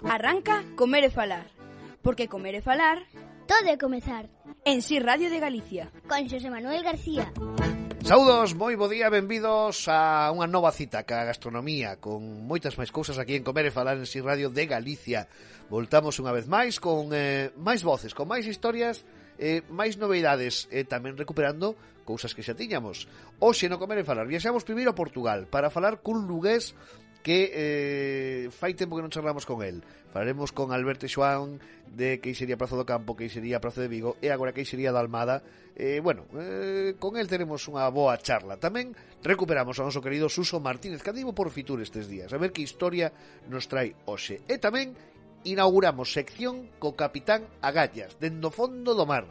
Arranca Comer e Falar, porque comer e falar todo é comezar. En Si Radio de Galicia, con Xosé Manuel García. Saúdos, moi bo día, benvidos a unha nova cita ca gastronomía, con moitas máis cousas aquí en Comer e Falar en Si Radio de Galicia. Voltamos unha vez máis con máis voces, con máis historias, máis novedades, e tamén recuperando cousas que xa tiñamos. Hoxe no Comer e Falar viaxamos primeiro a Portugal para falar cun lugués que fai tempo que non charlamos con el. Falaremos con Alberto Xoán de Queixería Praza do Campo, Queixería Praza de Vigo e agora Queixería da Almada. Con el teremos unha boa charla. Tamén recuperamos ao noso querido Suso Martínez, que andivo por Fitur estes días, a ver que historia nos trae hoxe. E tamén inauguramos sección co Capitán Agallas, dende o fondo do mar.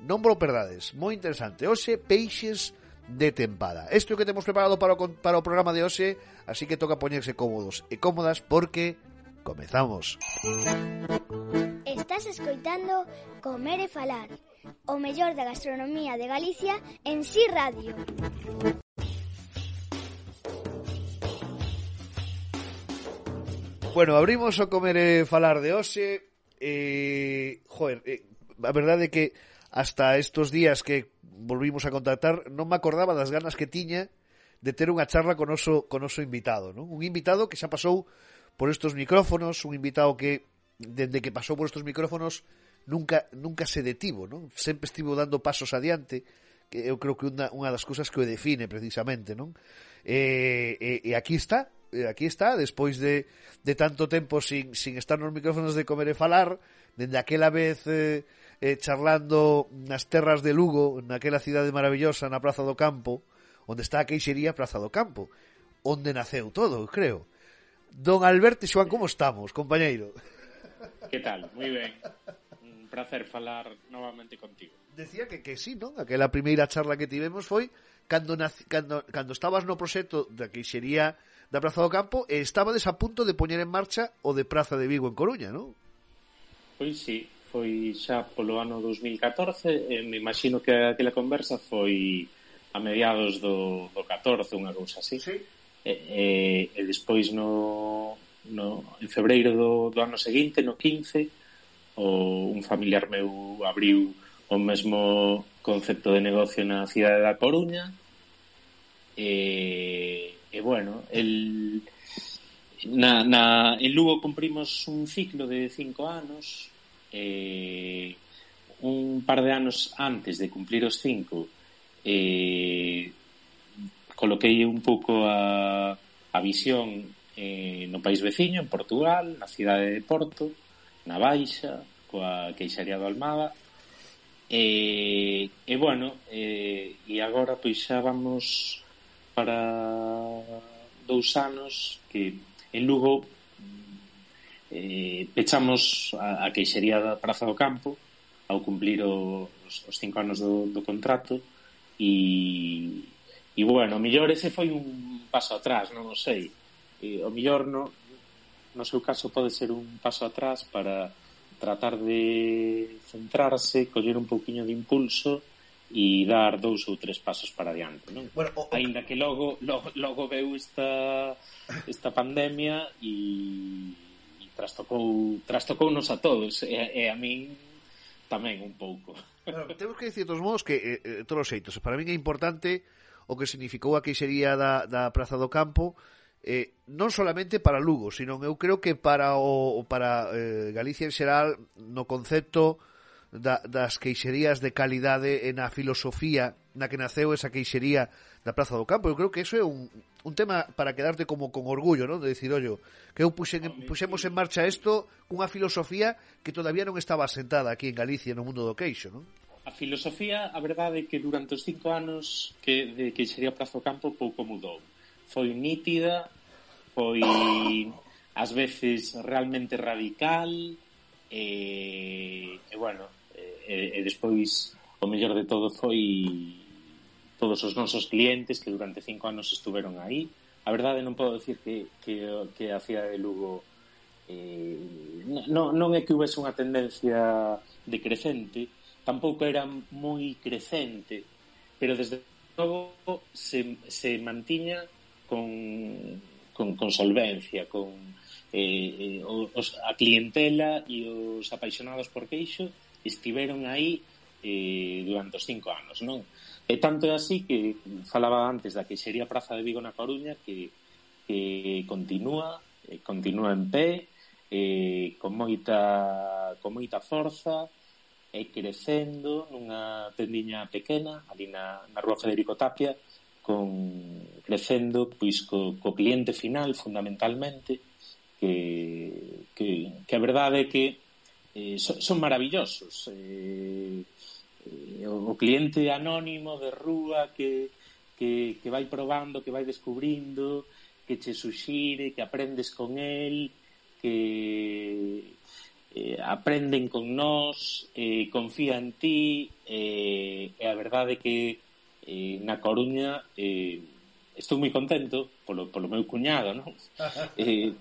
Non vos perdades, moi interesante. Hoxe, peixes de tempada. Isto é o que temos preparado para o programa de hoxe, así que toca poñerse cómodos e cómodas porque comezamos. Estás escoitando Comer e Falar, o mellor da gastronomía de Galicia en Si Radio. Bueno, abrimos o Comer e Falar de hoxe. A verdade é que hasta estos días que volvimos a contactar non me acordaba das ganas que tiña de ter unha charla con oso invitado, non? Un invitado que xa pasou por estos micrófonos, un invitado que dende que pasou por estos micrófonos nunca se detivo, non? Sempre estivo dando pasos adiante, que eu creo que unha das cousas que o define precisamente, non? E aquí está, despois de tanto tempo sin estar nos micrófonos de Comer e Falar, dende aquela vez charlando nas terras de Lugo, naquela cidade maravillosa na Praza do Campo, onde está a Queixería Praza do Campo, onde naceu todo, creo. Don Alberto Xoán, como estamos, compañeiro? Que tal? Moi ben. Un placer falar novamente contigo. Decía que sí, non? Aquela primeira charla que tivemos foi cando estabas no proxecto da Queixería da Praza do Campo e estabades a punto de poñer en marcha o de Praza de Vigo en Coruña, non? Pois sí, foi xa polo ano 2014 e me imagino que aquela conversa foi a mediados do 14, unha cousa así. Sí. E despois en febreiro do ano seguinte, no 15, un familiar meu abriu o mesmo concepto de negocio na cidade da Coruña e bueno, en Lugo cumprimos un ciclo de 5 anos. Un par de anos antes de cumplir os 5 coloquei un pouco a visión no país veciño, en Portugal, na cidade de Porto, na Baixa, coa Queixería da Almada e agora pois xa vamos para 2 anos que en Lugo pechamos a Queixería da Praza do Campo ao cumplir os 5 anos do contrato e bueno, o mellor ese foi un paso atrás, non o sei, o mellor no seu caso pode ser un paso atrás para tratar de centrarse, coller un pouquiño de impulso e dar 2 ou 3 pasos para adiante, non? Bueno, aínda que logo veu esta pandemia e trastocounos a todos e a min tamén un pouco. Bueno, temos que dicir de todos modos que todos os xeitos, para min é importante o que significou a Queixería da Praza do Campo, non solamente para Lugo, sino eu creo que para Galicia en xeral, no concepto das queixerías de calidade e na filosofía na que naceu esa Queixería da Praza do Campo. Eu creo que eso é un tema para quedarte como con orgullo, non? De dicir, ollo, que eu puxemos en marcha isto cunha filosofía que todavía non estaba asentada aquí en Galicia no mundo do queixo, non? A filosofía, a verdade é que durante os 5 anos de Queixería Praza do Campo pouco mudou. Foi nítida, foi ás veces realmente radical e despois o mellor de todo foi todos os nosos clientes que durante 5 anos estuveron aí. A verdade non podo dicir que a cidade de Lugo non é que houvese unha tendencia decrecente, tampouco era moi crecente, pero desde logo se mantiña con solvencia, a clientela e os apaixonados por queixo estiveron aí durante os 5 anos, non? E tanto é así que falaba antes da queixería Praza de Vigo na Coruña que continúa en pé, con moita forza e crecendo nunha tendiña pequena ali na rúa Federico Tapia, crecendo pois co cliente final fundamentalmente, que a verdade é que son maravillosos. O cliente anónimo de rúa que vai probando, que vai descubrindo, que che suxire, que aprendes con el, que aprenden con nós, confía en ti, e a verdade é que na Coruña estou moi contento polo meu cuñado, non?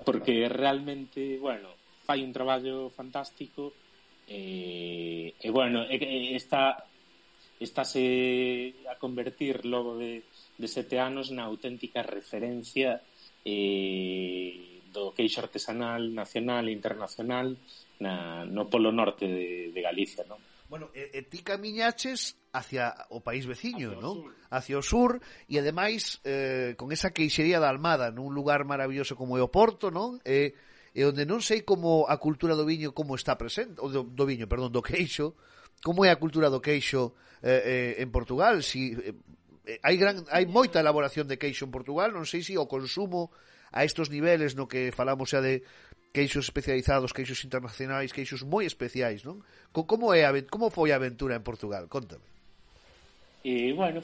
Porque realmente, bueno, fai un traballo fantástico e bueno, estáse a convertir logo de 7 anos na auténtica referencia do queixo artesanal nacional e internacional no polo norte de Galicia, non? Bueno, ti camiñaches hacia o país veciño, non? Hacia o sur, e ademais con esa queixería da Almada nun lugar maravilloso como é o Porto, non? E onde non sei como a cultura do viño como está presente, ou do queixo, como é a cultura do queixo en Portugal, si hai moita elaboración de queixo en Portugal, non sei se o consumo a estos niveles no que falamos xa de queixos especializados, queixos internacionais, queixos moi especiais, non? Como foi a aventura en Portugal? Contame. Bueno,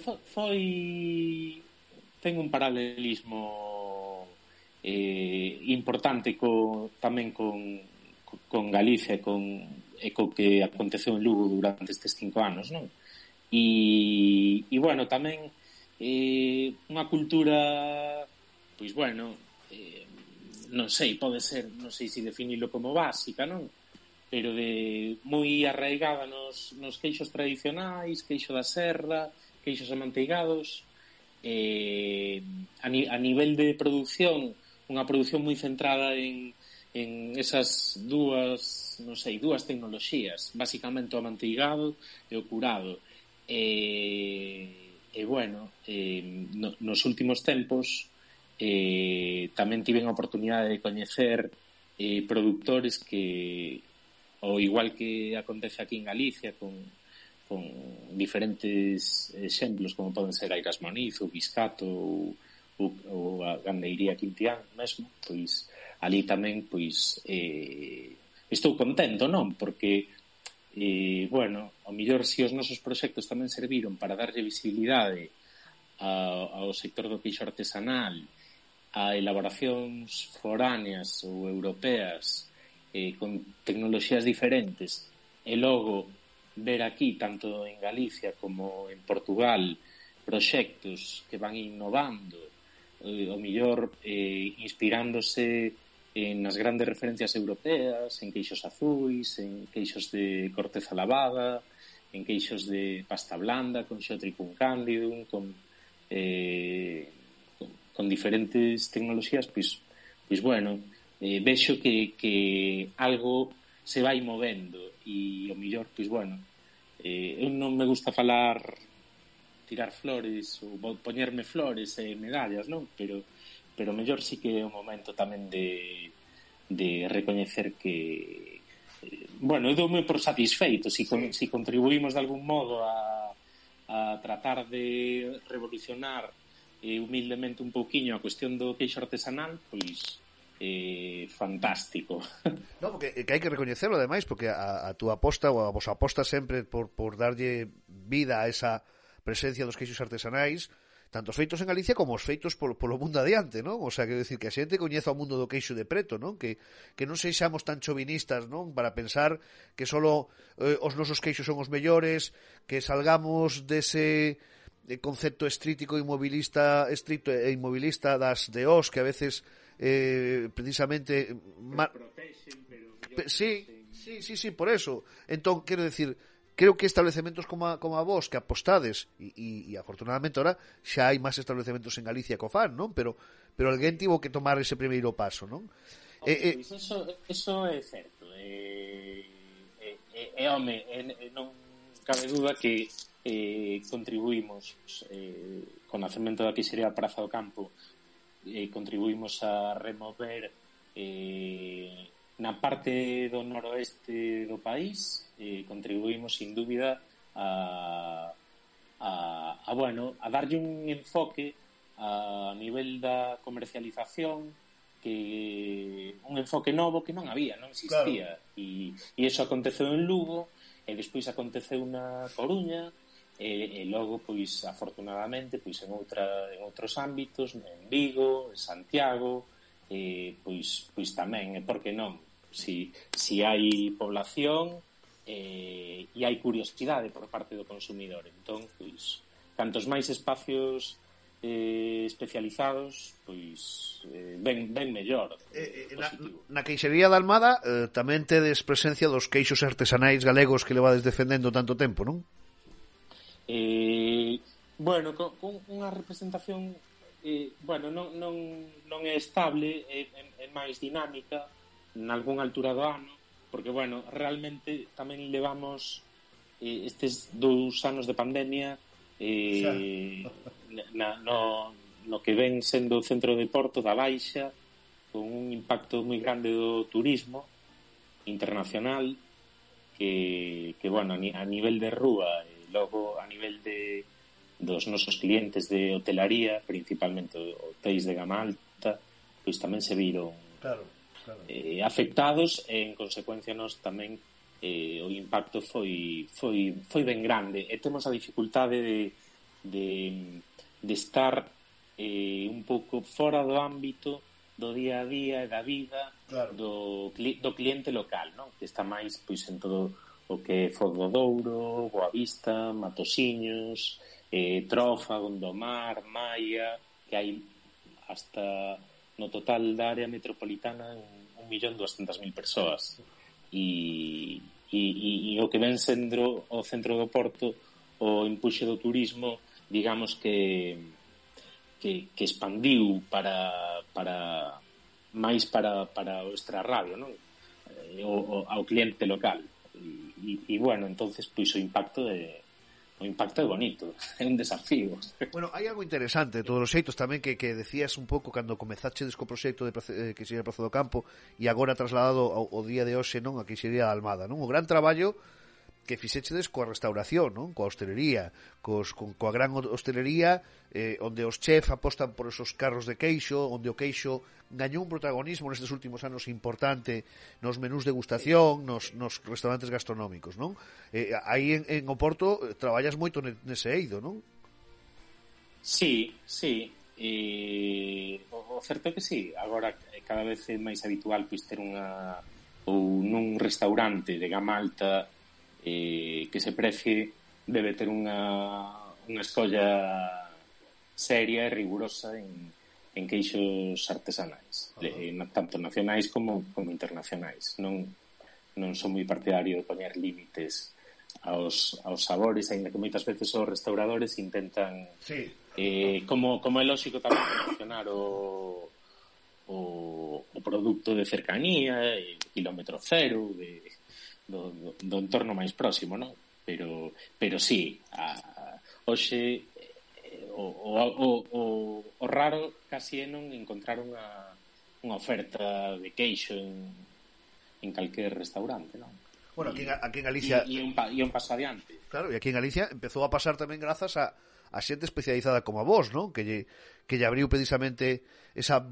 ten un paralelismo importante tamén con Galicia e co que aconteceu en Lugo durante estes 5 anos, non? E bueno, tamén unha cultura, pois bueno, non sei, pode ser, non sei se definilo como básica, non? Pero moi arraigada nos queixos tradicionais, queixo da serra, queixos amanteigados, a nivel de produción, unha produción moi centrada en esas dúas tecnoloxías, basicamente o amanteigado e o curado. Bueno, nos últimos tempos tamén tiven a oportunidade de coñecer produtores que, ao igual que acontece aquí en Galicia con diferentes exemplos como poden ser Airas Moniz ou Biscato ou a gandeiría Quintián mesmo, pois ali tamén pois estou contento, non? Porque bueno, ao mellor se os nosos proxectos tamén serviron para darlle visibilidade ao sector do queixo artesanal, a elaboracións foráneas ou europeas con tecnoloxías diferentes, e logo ver aquí, tanto en Galicia como en Portugal, proxectos que van innovando, o mellor inspirándose nas grandes referencias europeas, en queixos azuis, en queixos de corteza lavada, en queixos de pasta blanda, con Xeotricum candidum, con diferentes tecnoloxías, pois bueno, vexo que algo se vai movendo e o mellor, pois bueno, eu non me gusta tirar flores ou poñerme flores e medallas, non? Pero mellor sí que é o momento tamén de recoñecer que bueno, eu doume por satisfeito si contribuímos de algún modo a tratar de revolucionar humildemente un pouquiño a cuestión do queixo artesanal, pois fantástico. No, porque hai que recoñecerlo ademais, porque a túa aposta ou a vosa aposta sempre por darlle vida a esa presencia dos queixos artesanais, tanto os feitos en Galicia como os feitos polo mundo adiante, non? O sea, quero dicir que a xente coñeza o mundo do queixo de preto, non? Que non seixamos tan chauvinistas, non? Para pensar que solo os nosos queixos son os mellores, que salgamos dese concepto estricto e inmobilista das DOs que a veces precisamente sí, por eso. Entón, quero decir, creo que establecementos como a vos que apostades e afortunadamente ahora xa hai máis establecementos en Galicia que o fan, non? Pero alguén tivo que tomar ese primeiro paso, non? Pois eso é certo. Home, non cabe duda que contribuímos con o nacemento da que sería a Praza do Campo, contribuímos a remover na parte do noroeste do país, contribuímos sin dúbida a darlle un enfoque a nivel da comercialización, que un enfoque novo que non había, non existía. Claro. E iso aconteceu en Lugo, e despois aconteceu na Coruña, e logo, pois, afortunadamente, pois en outros ámbitos, en Vigo, en Santiago, pois tamén, por que non? Si hai población e hai curiosidade por parte do consumidor, entón, pois, cantos máis espacios especializados, pois ben mellor. Na queixería da Almada tamén tedes presencia dos queixos artesanais galegos que levades defendendo tanto tempo, non? Con unha representación non é estable, é máis dinámica nalgúna altura do ano, porque realmente tamén levamos estes 2 anos de pandemia no que ven sendo o centro de Porto da Baixa, con un impacto moi grande do turismo internacional, que a nivel de rúa e logo a nivel dos nosos clientes de hotelaría, principalmente hotéis de gama alta, pois tamén se viron afectados, e en consecuencia nos tamén o impacto foi ben grande, e temos a dificultade de estar un pouco fora do ámbito do día a día e da vida do cliente local, non? Que está máis pois en todo o que é Foz do Douro, Boavista, Matosiños, Trofa, Gondomar, Maia, que hai hasta no total da área metropolitana 1.200.000 persoas, e o que ven sendo o centro do Porto, o empuxe do turismo, digamos que expandiu para máis para o extrarradio, non? Ao cliente local, e entonces pois o impacto é bonito, é un desafío. Hai algo interesante de todos os xeitos tamén que decías un pouco cando comezachedes co proxecto que sería Praza do Campo, e agora trasladado ao día de hoxe, non, a que sería a Almada, non? O gran traballo que fixechedes coa restauración, non? Coa hostelería, coa gran hostelería, onde os chefs apostan por esos carros de queixo, onde o queixo gañou un protagonismo nestes últimos anos importante nos menús de degustación, nos restaurantes gastronómicos, non? Aí en Oporto traballas moito nese eido, non? Sí. O certo é que sí. Agora cada vez é máis habitual pois ter nun restaurante de gama alta que se precie, debe ter unha escolla seria e rigurosa en queixos artesanais, tanto nacionais como internacionais. Non son moi partidario de poñer límites aos sabores, aínda que moitas veces os restauradores intentan como é lógico tamén promocionar o produto de cercanía, kilómetro cero, do entorno máis próximo, non? Pero sí, hoxe o raro casi é non encontrar unha oferta de queixo en calquer restaurante, non? Aquí en Galicia e un paso adiante. Claro, e aquí en Galicia empezou a pasar tamén grazas a xente especializada como a vos, non? Que lle abriu precisamente esa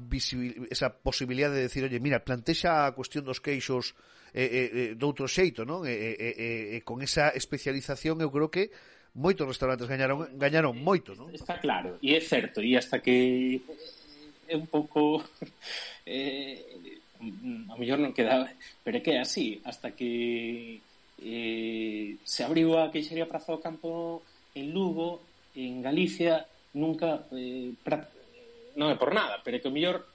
posibilidade de decir, oye, mira, plantexa a cuestión dos queixos de outro xeito, non? E con esa especialización eu creo que moitos restaurantes gañaron moito, non? Está claro, e é certo, e hasta que é un pouco a mellor non queda, pero é que é así, hasta que se abriu a queixería Praza do Campo en Lugo, en Galicia, nunca non é por nada, pero é que o mellor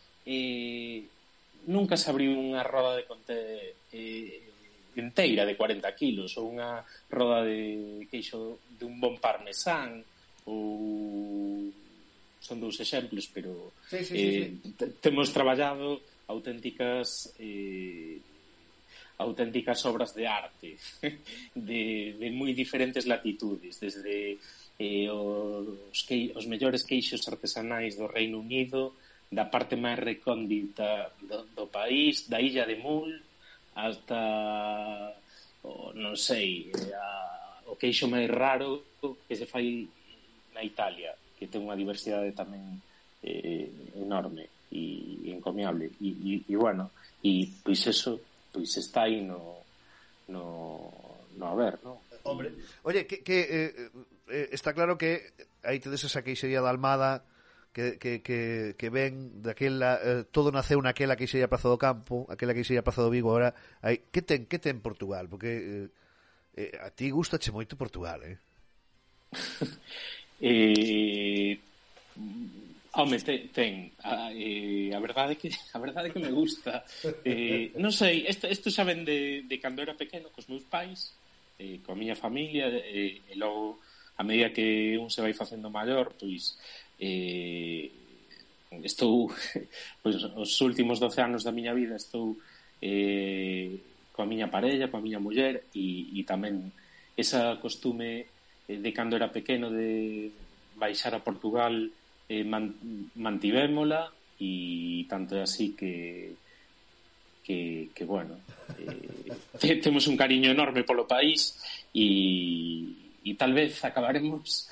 nunca se abriu unha roda de conte inteira de 40 kilos, ou unha roda de queixo de un bon parmesán, ou son 2 exemplos, pero sí. Temos traballado auténticas obras de arte de moi diferentes latitudes, desde os mellores queixos artesanais do Reino Unido, da parte máis recóndita do país, da illa de Mull hasta non sei, o queixo máis raro que se fai na Italia, que ten unha diversidade tamén enorme e encomiable, e bueno, e pois eso pois está aí no haber, non? Hombre, oye, está claro que aí tedes esa queixería da Almada que ven daquela, todo naceu naquela queixería Praza do Campo, aquela queixería Praza do Vigo. Agora, que ten Portugal? Porque a ti gustache moito Portugal, Home, ten. A verdade é que me gusta. Non sei, isto xa ven de cando era pequeno, cos meus pais, coa miña familia, e logo, a medida que un se vai facendo maior, pois estou, pois, os últimos 12 anos da miña vida estou coa miña parella, coa miña muller, e tamén esa costume de cando era pequeno de baixar a Portugal, mantivémola, e tanto é así que bueno, temos un cariño enorme polo país, e tal vez acabaremos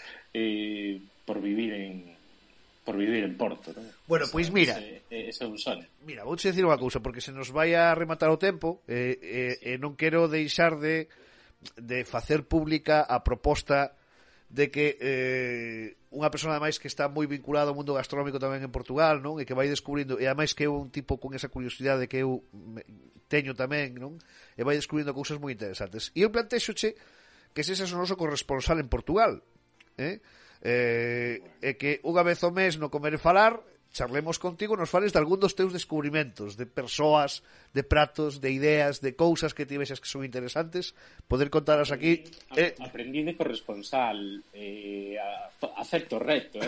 por vivir en Porto, non? Bueno, pois mira, ese é un sono. Mira, vou te dicir unha cousa, porque se nos vai a rematar o tempo, non quero deixar de facer pública a proposta de que unha persona ademais que está moi vinculada ao mundo gastronómico tamén en Portugal, non? E que vai descubrindo, e ademais que é un tipo con esa curiosidade que eu teño tamén, non? E vai descubrindo cousas moi interesantes. E eu plantexoche que sexas o noso corresponsal en Portugal, e que unha vez ao mes no Comer e Falar charlemos contigo, nos fales de algún dos teus descubrimentos, de persoas, de pratos, de ideas, de cousas que ti vexas que son interesantes, poder contaras aquí. Aprendí de corresponsal, acepto o reto,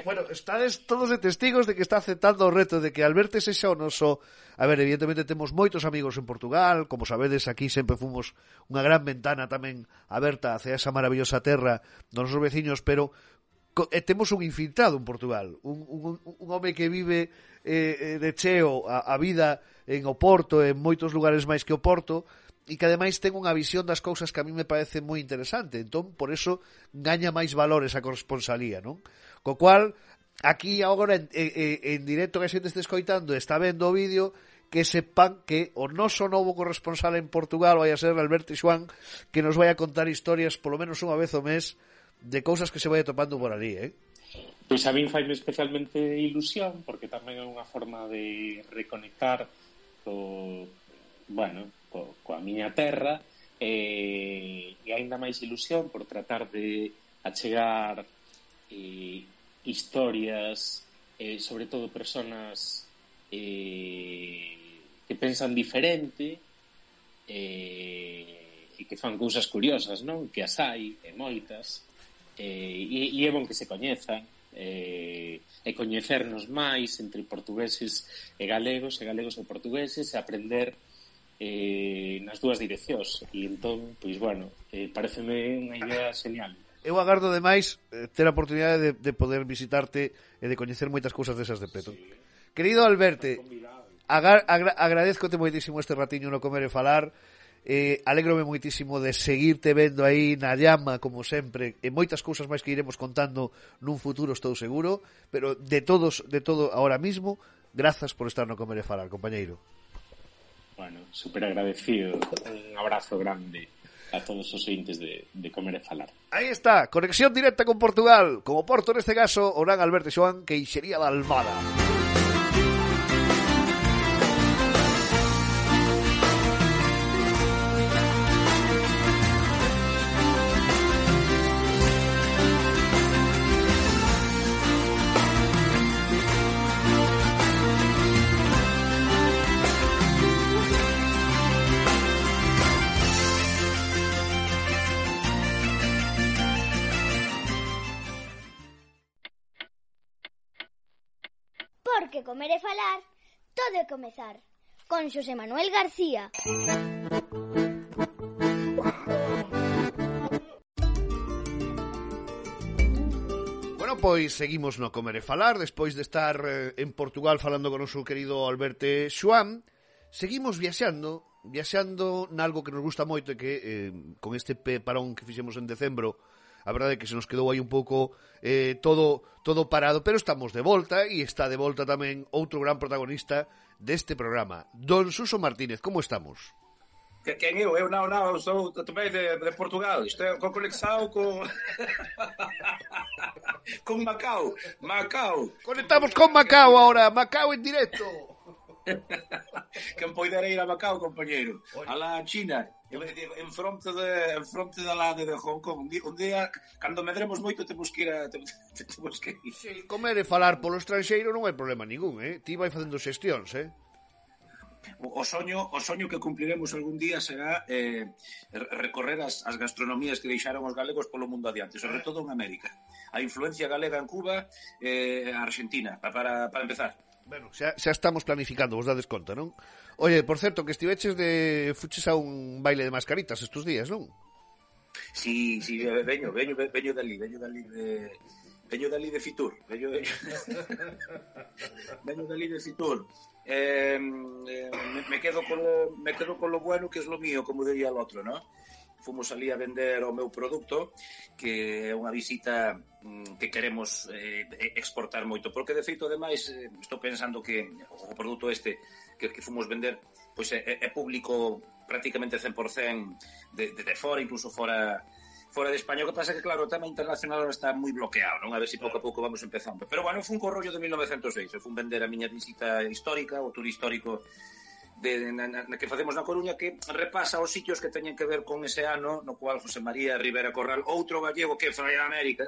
Bueno, estades todos de testigos de que está aceptando o reto, de que Alberto sexa o noso... A ver, evidentemente temos moitos amigos en Portugal, como sabedes, aquí sempre fomos unha gran ventana tamén aberta hacia esa maravillosa terra dos nosos veciños, pero temos un infiltrado en Portugal, un home que vive de cheo a vida en Oporto, en moitos lugares máis que Oporto, e que ademais ten unha visión das cousas que a mí me parece moi interesante. Entón, por eso gaña máis valor esa corresponsalía, non? Co cual, aquí agora en directo que a xente este escoitando, está vendo o vídeo, que sepan que o noso novo corresponsal en Portugal vai a ser Alberto Xoán, que nos vai a contar historias polo menos unha vez ao mes de cousas que se vai topando por ali, Pois a min faime especialmente ilusión, porque tamén é unha forma de reconectar coa miña terra, e aínda máis ilusión por tratar de achegar historias, sobre todo personas que pensan diferente, e que fan cousas curiosas, non? Que as hai, e moitas, e é bon que se coñezan, e coñecernos máis entre portugueses e galegos e portugueses, e aprender nas dúas direccións. E entón, pois bueno, pareceme unha idea genial. Eu agardo demais ter a oportunidade de poder visitarte e de coñecer moitas cousas desas de preto. Sí. Querido Alberto, agradezcote moitísimo este ratiño no Comer e Falar. Alégrome moitísimo de seguirte vendo aí na llama, como sempre, e moitas cousas máis que iremos contando nun futuro, estou seguro, pero de todo ahora mismo, grazas por estar no Comer e Falar, compañeiro. Bueno, super agradecido, un abrazo grande a todos os ointes de Comer e Falar. Aí está, conexión directa con Portugal, como Porto neste caso, o gran Alberto Xoán, Queixería da Almada. porque comer e falar, todo é comezar. Con Xosé Manuel García. Bueno, pois seguimos no Comer e Falar. Despois de estar en Portugal falando con o noso querido Alberto Xoán, seguimos viaxando nalgo que nos gusta moito e que con este parón que fixemos en decembro, a verdade é que se nos quedou aí un pouco todo parado, pero estamos de volta e está de volta tamén outro gran protagonista deste programa, Don Suso Martínez. Como estamos? Quen eu? Eu non, sou tamén de Portugal. Isto é con conexão con con Macao. Conectamos con Macao ahora, Macao en directo. Quen poidera ir a Macao, compañeiro? A la China, en fronte da lade de Hong Kong. Un día, cando medremos moito, temos que ir. Sí, comer e falar polo estranxeiro non hai problema ningún, Ti vai facendo xestións, O soño que cumpliremos algún día será recorrer as gastronomías que deixaron os galegos polo mundo adiante, sobre todo en América. A influencia galega en Cuba e a Argentina, para empezar. Bueno, xa estamos planificando, vos dades conta, non? Oye, por certo, que fuches a un baile de mascaritas estes días, non? Sí, veño dali de Fitur. Veño dali de Fitur. Me quedo con lo bueno, que es lo mío, como diría el otro, ¿no? Fomos ali a vender o meu produto, que é unha visita que queremos exportar moito, porque de feito, ademais, estou pensando que o produto este que fomos vender pois é público prácticamente 100% de fora, incluso fora de España. O que pasa é que, claro, o tema internacional está moi bloqueado, non? A ver se pouco a pouco vamos empezando. Pero, bueno, fun co rollo de 1906, fun vender a miña visita histórica, o tour histórico na que facemos na Coruña, que repasa os sitios que teñen que ver con ese ano no cual José María Rivera Corral, outro gallego que foi a América,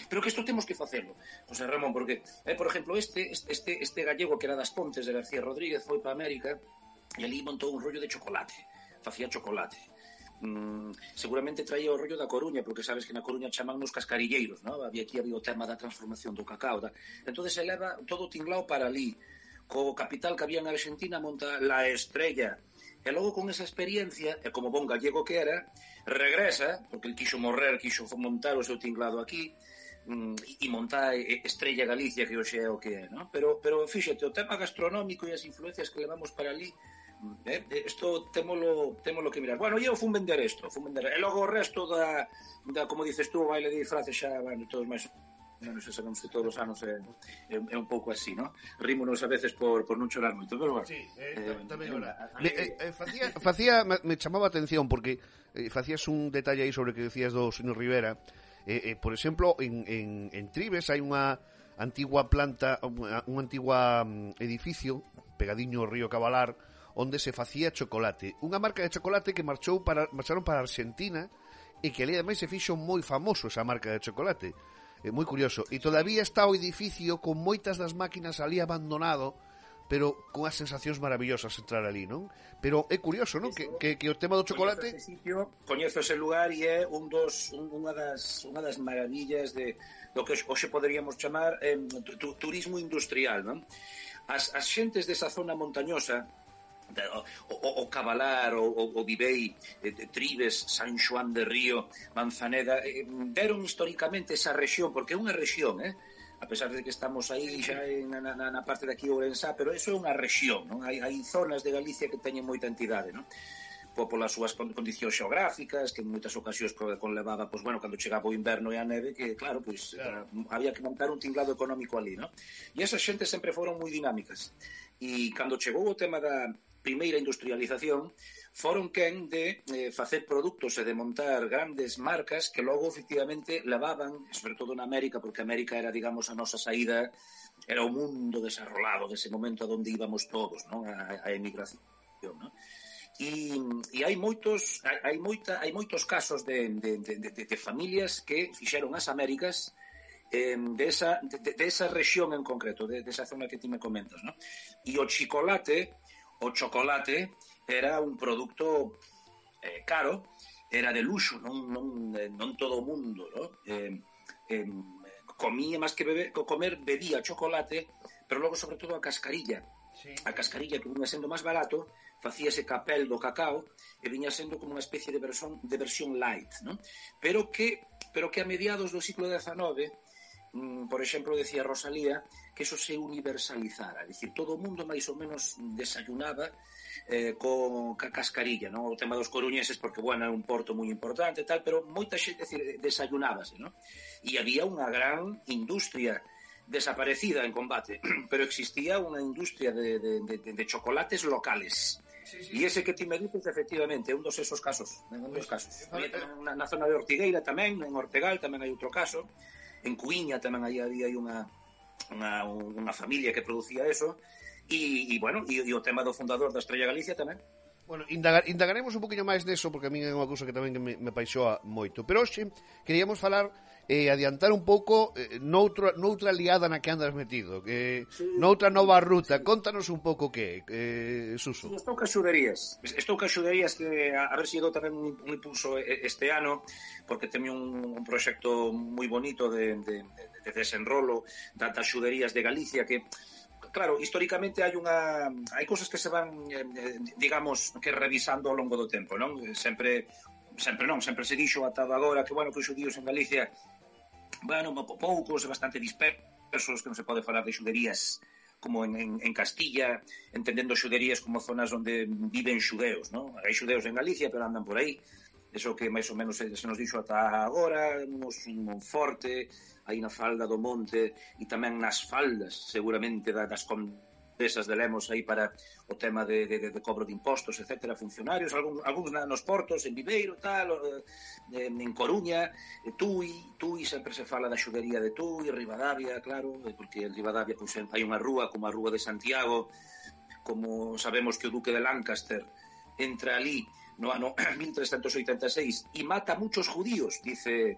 pero que isto temos que facelo, José Ramón, porque, por exemplo, este gallego que era das Pontes de García Rodríguez foi para América e ali montou un rollo de chocolate, facía chocolate. Seguramente traía o rollo da Coruña, porque sabes que na Coruña chaman nos cascarilleiros, ¿no? Había o tema da transformación do cacao, entonces se leva todo tinglao para ali. Co capital que había en Argentina monta La Estrella, e logo con esa experiencia, e como bon gallego que era, regresa, porque el quixo montar o seu tinglado aquí, e monta Estrella Galicia, que hoxe é o que é, ¿no? Pero fíxate, o tema gastronómico e as influencias que levamos para ali, isto témolo que mirar. Bueno, eu fun vender isto, e logo o resto da como dices tú, o baile de disfraces xa, bueno, todos máis non sei, sabemos que todos os anos é un pouco así, ¿no? Rímonos a veces por non chorar moito, pero bueno. Sí, tamén agora. Me chamaba a atención porque facías un detalle aí sobre o que decías do señor Rivera. Por exemplo, en Tribes hai unha antigua planta, un antigua edificio pegadiño ao río Cabalar, onde se facía chocolate. Unha marca de chocolate que marcharon para Argentina e que ali ademais se fixo moi famoso esa marca de chocolate. Moi curioso. E todavía está o edificio con moitas das máquinas ali abandonado, pero con as sensacións maravillosas entrar ali, non? Pero é curioso, non? Que o tema do chocolate... Coñezo ese lugar e é unha das maravillas do que hoxe poderíamos chamar turismo industrial, non? As xentes desa zona montañosa, o Cabalar, o Vivei, Tribes, San Xoán de Río, Manzaneda, deron históricamente esa rexión, porque é unha rexión, a pesar de que estamos aí xa na parte de aquí Ourensá, pero eso é unha rexión, non? Hai zonas de Galicia que teñen moita entidade, non? Polas súas condicións xeográficas, que en moitas ocasións conlevaba, pois, bueno, cando chegaba o inverno e a neve, que, claro, pois, había que montar un tinglado económico ali, non? E esas xentes sempre foron moi dinámicas. E cando chegou o tema da primeira industrialización, foron quen de facer produtos e de montar grandes marcas que logo, efectivamente, levaban, sobre todo na América, porque América era, digamos, a nosa saída, era o mundo desarrollado dese momento a donde íbamos todos, non? A emigración, non? E hai moitos casos de familias que fixeron as Américas de esa rexión en concreto, de esa zona que ti me comentas, non? E o chocolate era un produto caro, era de luxo, non todo o mundo, non? Comía máis que comer, bebía chocolate pero logo sobre todo a cascarilla. Sí. A cascarilla, que viña sendo máis barato, facíase capel do cacao e viña sendo como unha especie de versión light, ¿no? Pero que a mediados do siglo XIX, por exemplo, decía Rosalía, que eso se universalizara, é dicir, todo o mundo máis ou menos desayunaba con cascarilla, ¿no? O tema dos coruñeses, porque, bueno, é un porto moi importante e tal, pero moita xente, decir, desayunábase, ¿no? E había unha gran industria desaparecida en combate, pero existía unha industria de chocolates locales. E ese que ti me dices, efectivamente, é un dos esos casos. Na zona de Ortigueira tamén, en Ortegal tamén hai outro caso, en Cuiña tamén había unha familia que producía eso, e bueno, e o tema do fundador da Estrella Galicia tamén. Bueno, indagaremos un poquinho máis neso, porque a min é unha cousa que tamén me paixoa moito. Pero hoxe queríamos falar adiantar un pouco noutra liada na que andas metido, noutra nova ruta. Contanos un pouco que Suso. Estou ca xuderías que a ver se dou tamén un impulso este ano, porque teño un proxecto moi bonito de desenrolo das xuderías de Galicia que, claro, históricamente hai cousas que se van, digamos, que revisando ao longo do tempo, non? Sempre se dixo ata agora que, bueno, que os xudíos en Galicia, bueno, poucos e bastante dispersos, que non se pode falar de xuderías como en Castilla, entendendo xuderías como zonas onde viven xudeos, non? Hai xudeos en Galicia, pero andan por aí. Eso que máis ou menos se nos dixo ata agora, un Monforte, aí na falda do monte, e tamén nas faldas, seguramente, das condesas de Lemos, aí para o tema de cobro de impostos, etcétera, funcionarios, algúns nos portos, en Viveiro, tal, en Coruña, Tui sempre se fala da xudería de Tui, Ribadavia, claro, porque en Ribadavia pois, hai unha rúa como a Rúa de Santiago, como sabemos que o Duque de Lancaster entra ali no ano 1386 e mata a muchos judíos, dice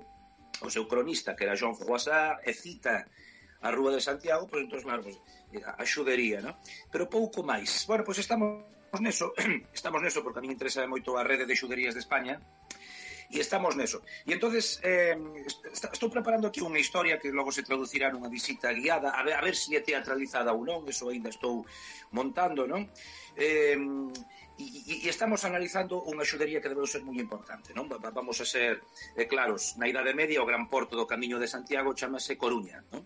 o seu cronista, que era Jean Froissart, e cita a Rúa de Santiago, pois entón, claro, pues, a xudería, ¿no? Pero pouco máis. Bueno, pois estamos neso, porque a mí me interesa moito a rede de xuderías de España, e estamos neso. E entonces estou preparando aquí unha historia que logo se traducirá nunha visita guiada, a ver se é teatralizada ou non, eso ainda estou montando, non? E estamos analizando unha xudería que debe ser moi importante, non? Vamos a ser claros, na Idade Media o gran porto do Camiño de Santiago chamase Coruña, non?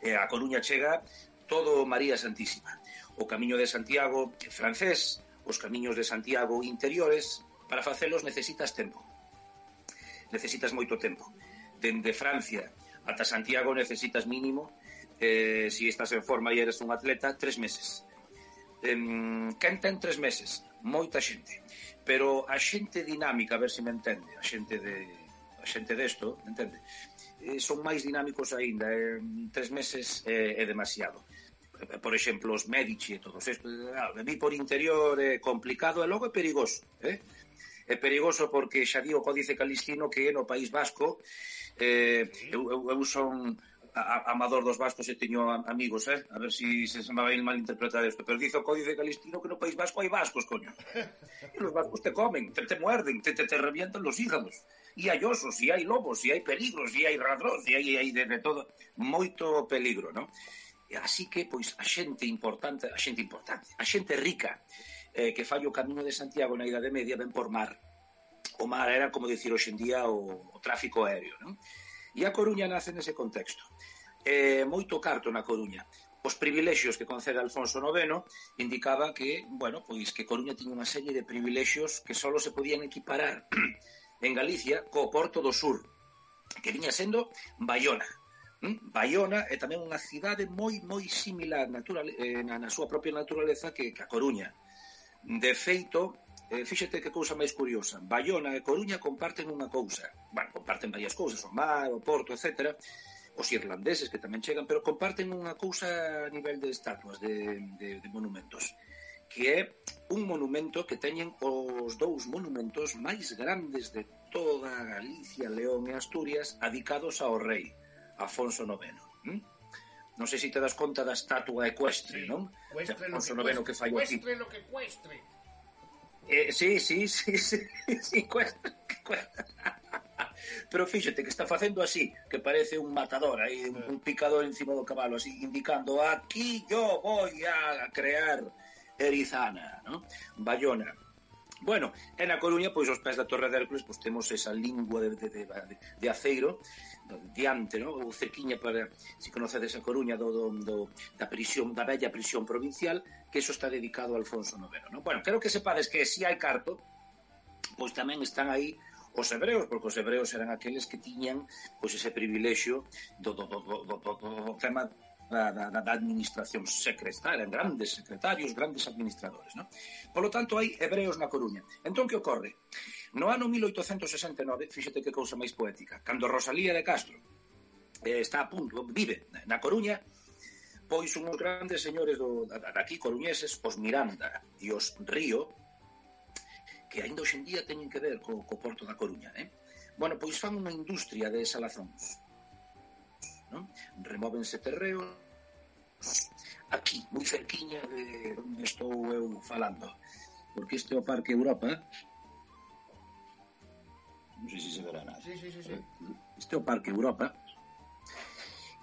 A Coruña chega todo María Santísima. O Camiño de Santiago francés, os camiños de Santiago interiores, para facelos necesitas tempo. Necesitas moito tempo. Dende Francia ata Santiago necesitas mínimo, se estás en forma e eres un atleta, 3 meses. Quen ten 3 meses? Moita xente. Pero a xente dinámica, a ver se me entende, a xente desto, entende? Son máis dinámicos aínda, 3 meses é demasiado. Por exemplo, os Medici e todos estos, vi por interior é complicado e logo é perigoso, É perigoso porque xa di o Códice Calistino que no País Vasco, eu son amador dos vascos e teño amigos, a ver se me vai malinterpretar isto, pero dice o Códice Calistino que no País Vasco hai vascos, coño. E os vascos te comen, te muerden, te revientan los hígados. E hai osos, e hai lobos, e hai peligros, e hai ladróns, e hai de todo, moito peligro, non? Así que, pois, a xente rica, que fai o Camiño de Santiago na Idade Media, ven por mar. O mar era, como dicir hoxe en día, o tráfico aéreo, non? E a Coruña nace nese contexto. Moito carto na Coruña. Os privilexios que concede Alfonso IX indicaba que, bueno, pois que Coruña tiña unha serie de privilexios que só se podían equiparar en Galicia co Porto do Sur, que viña sendo Baiona. Baiona é tamén unha cidade moi similar na súa propia naturaleza que a Coruña. De feito, fíxate que cousa máis curiosa, Baiona e Coruña comparten unha cousa, bueno, comparten varias cousas, o mar, o porto, etc., os irlandeses que tamén chegan, pero comparten unha cousa a nivel de estatuas, de monumentos, que é un monumento que teñen os 2 monumentos máis grandes de toda Galicia, León e Asturias, dedicados ao rei Afonso IX. Non sei se te das conta da estatua ecuestre, non? Afonso IX que fai aquí. Cuestre lo que cuestre. Sí, cuestre. Pero fíxate que está facendo así, que parece un matador aí, un picador encima do cabalo, así, indicando, aquí yo voy a crear Erizana, ¿no? Bayona. Bueno, en A Coruña, pois, os pés da Torre de Hércules, pois, temos esa lingua de aceiro diante, ¿no? Ou cerquiña para, se conocedes A Coruña, da prisión, da bella prisión provincial, que eso está dedicado a Alfonso IX, ¿no? Bueno, creo que sepades que si hai carto, pois tamén están aí os hebreos, porque os hebreos eran aqueles que tiñan pois ese privilexio do tema da administración secretaria, eran grandes secretarios, grandes administradores, ¿no? Por lo tanto, hai hebreos na Coruña. Entón, que ocorre? No ano 1869, fíxate que cousa máis poética, cando Rosalía de Castro está a punto, vive na Coruña, pois unhos grandes señores daqui coruñeses, os Miranda e os Río, que ainda hoxendía teñen que ver co porto da Coruña, bueno, pois fan unha industria de salazóns, non? Remóvense terreos aquí, moi cerquiña de onde estou eu falando, porque este é o Parque Europa, non sei se se verá nada. Sí. Este é o Parque Europa,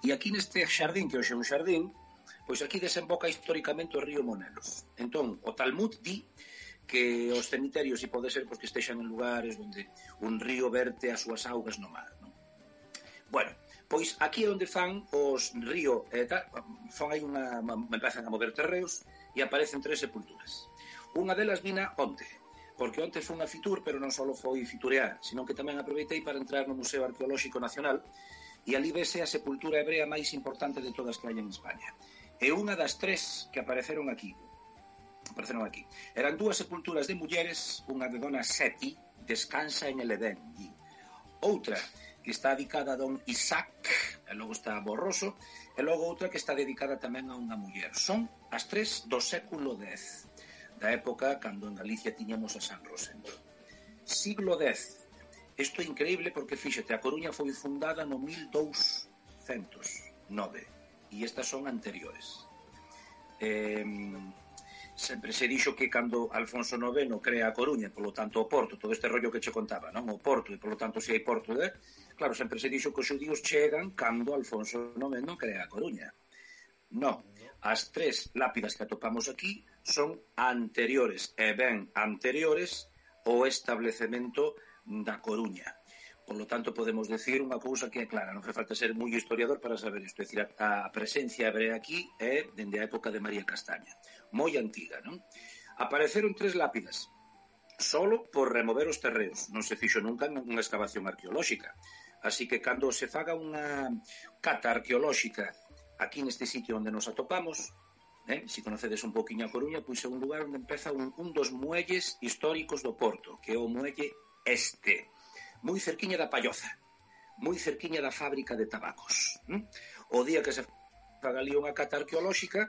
e aquí neste xardín, que hoxe é un xardín, pois aquí desemboca históricamente o río Monelos. Entón, o Talmud di que os cemiterios, se pode ser, pois que estexan en lugares onde un río verte as súas augas no mar, non? Bueno, pois aquí é onde fan os río, fan aí empezan a mover terreos e aparecen 3 sepulturas. Unha delas vina onte, porque onte foi unha fitur, pero non só foi fiturear, sino que tamén aproveitei para entrar no Museo Arqueolóxico Nacional e ali vese a sepultura hebrea máis importante de todas que hai en España. E unha das 3 que apareceron aquí. Eran 2 sepulturas de mulleres, unha de Dona Seti, descansa en el Edén, outra que está dedicada a Don Isaac, e logo está Borroso, e logo outra que está dedicada tamén a unha muller. Son as 3 do século X, da época cando en Galicia tiñamos a San Rosendo. Siglo X. Isto é increíble porque, fíxate, A Coruña foi fundada no 1209 e estas son anteriores. Sempre se dixo que cando Alfonso IX crea A Coruña, polo tanto o Porto, todo este rollo que che contaba, non? O Porto, e polo tanto se hai Porto claro, sempre se dixo que os xudíos chegan cando Alfonso IX crea A Coruña. Non, as 3 lápidas que atopamos aquí son anteriores, e ben anteriores ao establecemento da Coruña. Por lo tanto, podemos decir unha cousa que é clara, non fai falta ser moi historiador para saber isto, é dicir, a presencia hebrea aquí é dende a época de María Castaña, moi antiga, non? Apareceron 3 lápidas, solo por remover os terreos, non se fixo nunca unha excavación arqueolóxica, así que cando se faga unha cata arqueolóxica aquí neste sitio onde nos atopamos, se conocedes un poquinho a Coruña, pois é un lugar onde empeza un dos muelles históricos do Porto, que é o muelle Este, moi cerquiña da Palloza, moi cerquiña da fábrica de tabacos. O día que se faga ali unha cata arqueolóxica,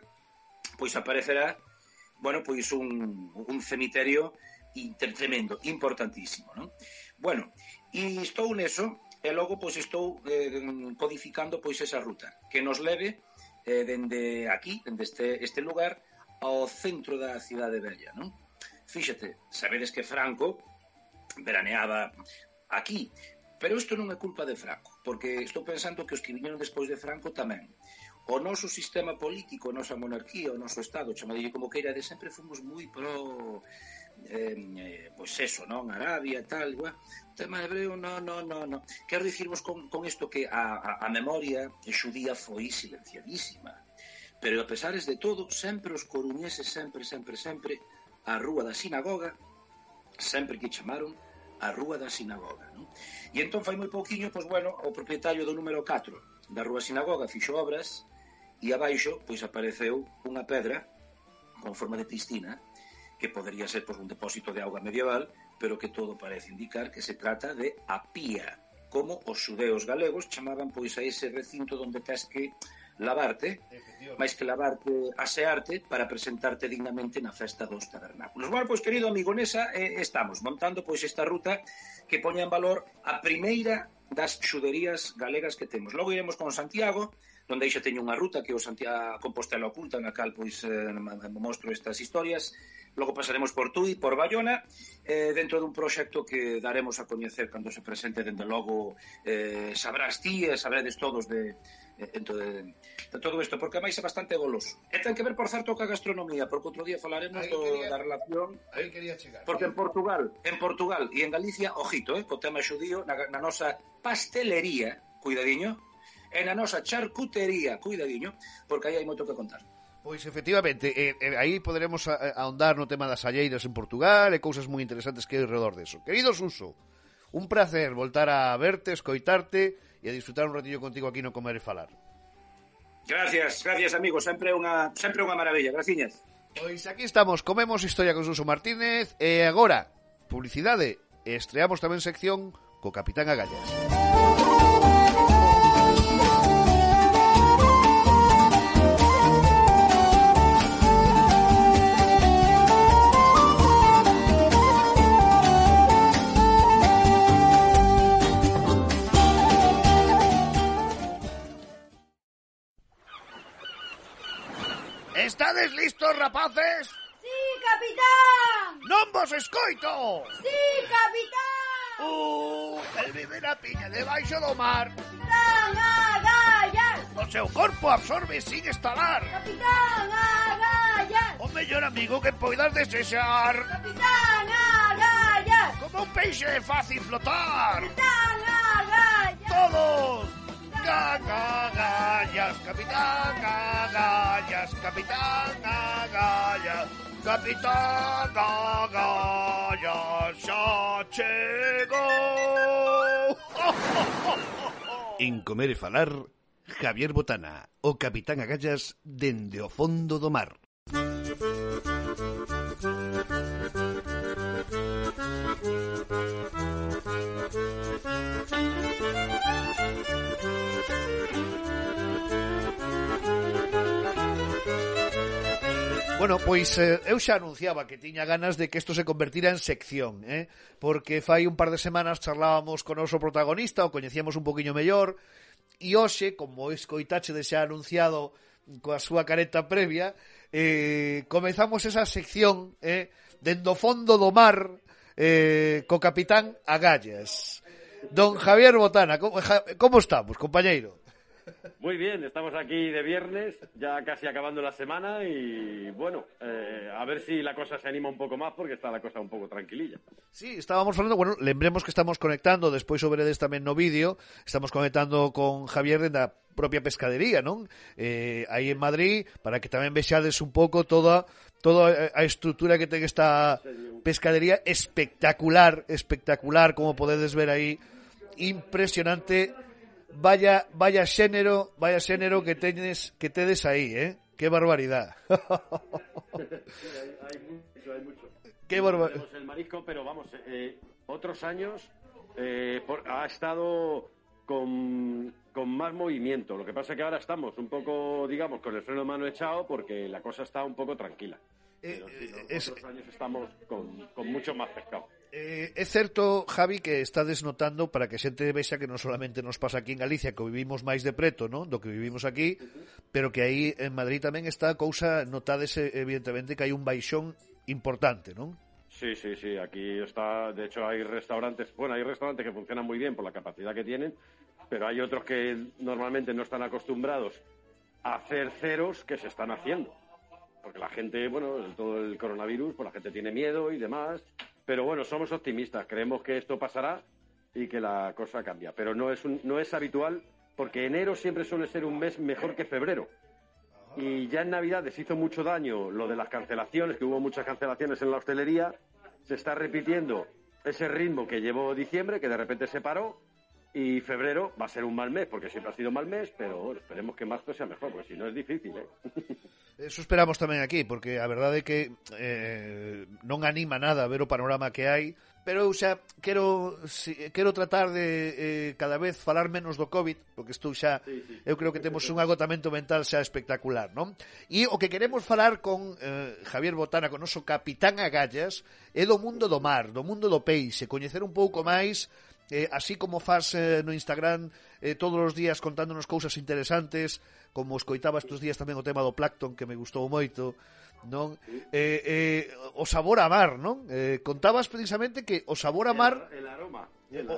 pois aparecerá, bueno, pois un cemiterio tremendo, importantísimo, non? Bueno, e estou neso, e logo pois estou codificando pois esa ruta, que nos leve dende aquí, dende este lugar, ao centro da cidade bella, non? Fíxate, sabedes que Franco veraneaba aquí, pero isto non é culpa de Franco, porque estou pensando que os que viñeron despois de Franco tamén. O noso sistema político, a nosa monarquía, o noso Estado, chamadille como queira, de sempre fomos moi pro pois eso, non? Arabia, tal, igual. O tema hebreo, non. Quero dicirvos con isto que a memoria xudía foi silenciadísima, pero a pesares de todo, sempre os coruñeses, sempre, a Rúa da Sinagoga, sempre que chamaron a Rúa da Sinagoga, non? E entón fai moi pouquiño, pois bueno, o propietario do número 4 da Rúa Sinagoga fixo obras e abaixo pois apareceu unha pedra con forma de piscina que podería ser pois un depósito de auga medieval, pero que todo parece indicar que se trata de a pía, como os xudeos galegos chamaban pois a ese recinto onde tes que lavarte, máis que lavarte, asearte para presentarte dignamente na festa dos tabernáculos. Bueno, pois, querido amigo, nesa estamos montando pois esta ruta que poña en valor a primeira das xuderías galegas que temos. Logo iremos con Santiago, donde aí xa teño unha ruta que é o Santiago Compostela Oculta, na cal pois mostro estas historias. Logo pasaremos por Tui, por Bayona, dentro dun proxecto que daremos a coñecer cando se presente, dende logo sabrás ti e sabredes todos dentro de todo isto, porque máis é bastante goloso. E ten que ver, por certo, ca gastronomía, porque outro día falaremos da relación, porque en Portugal e en Galicia, ojito, co tema xudío, na nosa pastelería, cuidadiño, e na nosa charcutería, cuidadiño, porque aí hai moito que contar. Pois efectivamente, aí poderemos ahondar no tema das alleiras en Portugal e cousas moi interesantes que hai alrededor deso. Querido Suso, un placer voltar a verte, escoitarte e a disfrutar un ratillo contigo aquí no Comer e Falar. Gracias, amigo, sempre unha maravilla, graciñas. Pois aquí estamos, comemos historia con Suso Martínez e agora, publicidade, e estreamos tamén sección co Capitán Agallas. Estades listos, rapaces? Sí, capitán! Non vos escoito! Sí, capitán! El viver a piña debaixo do mar. Capitán Agallas! O seu corpo absorbe sin estalar. Capitán Agallas! O mellor amigo que poidas desexar. Capitán Agallas! Como un peixe é fácil flotar. Capitán Agallas! Todos! Agallas, Capitán Agallas, Capitán Agallas, Capitán Agallas, xa chegou. En Comer e Falar, Javier Botana, o Capitán Agallas dende o fondo do mar. Bueno, pois eu xa anunciaba que tiña ganas de que isto se convertira en sección, porque fai un par de semanas charlábamos con o noso protagonista, o coñecíamos un poquinho mellor, e hoxe, como escoitache de xa anunciado coa súa careta previa, comezamos esa sección dende o fondo do mar co Capitán Agallas. Don Javier Botana, como estamos, compañeiro? Muy bien, estamos aquí de viernes, ya casi acabando la semana y bueno, a ver si la cosa se anima un poco más porque está la cosa un pouco tranquililla. Sí, estábamos falando, bueno, lembremos que estamos conectando, despois sobredes tamén no vídeo, estamos conectando con Javier da propia pescadería, non? Aí en Madrid, para que tamén vexades un pouco toda a estrutura que ten esta pescadería espectacular, como podedes ver aí, impresionante. Vaya xénero que tedes aí, qué barbaridad. Hay mucho. Qué barbaridad. El marisco, pero vamos, otros años ha estado con más movimiento. Lo que pasa es que ahora estamos un poco, digamos, con el freno de mano echado porque la cosa está un poco tranquila. Pero otros años estamos con mucho más pescado. É certo, Javi, que estades notando, para que a xente vexa que non solamente nos pasa aquí en Galicia, que vivimos máis de preto, non? Do que vivimos aquí, pero que aí en Madrid tamén está a cousa, notades evidentemente que hai un baixón importante, non? Sí, aquí está, de hecho hay restaurantes que funcionan muy bien por la capacidad que tienen, pero hay otros que normalmente no están acostumbrados a hacer ceros que se están haciendo. Porque la gente, bueno, todo el coronavirus, pues la gente tiene miedo y demás. Pero bueno, somos optimistas, creemos que esto pasará y que la cosa cambia. Pero no es habitual, porque enero siempre suele ser un mes mejor que febrero. Y ya en Navidades hizo mucho daño lo de las cancelaciones, que hubo muchas cancelaciones en la hostelería. Se está repitiendo ese ritmo que llevó diciembre, que de repente se paró. Y febrero va a ser un mal mes, porque siempre ha sido mal mes, pero bueno, esperemos que marzo sea mejor, porque si no es difícil, Eso esperamos tamén aquí, porque a verdade é que non anima nada ver o panorama que hai, pero eu xa quero tratar de cada vez falar menos do COVID, porque estou xa, eu creo que temos un agotamento mental xa espectacular, non? E o que queremos falar con Javier Botana, con o noso Capitán Agallas, é do mundo do mar, do mundo do peixe, coñecer un pouco máis así como faz no Instagram todos os días contándonos cousas interesantes, como escoitaba estes días tamén o tema do Plankton, que me gustou moito, non? O sabor a mar, non? Contabas precisamente que o sabor a mar... El aroma.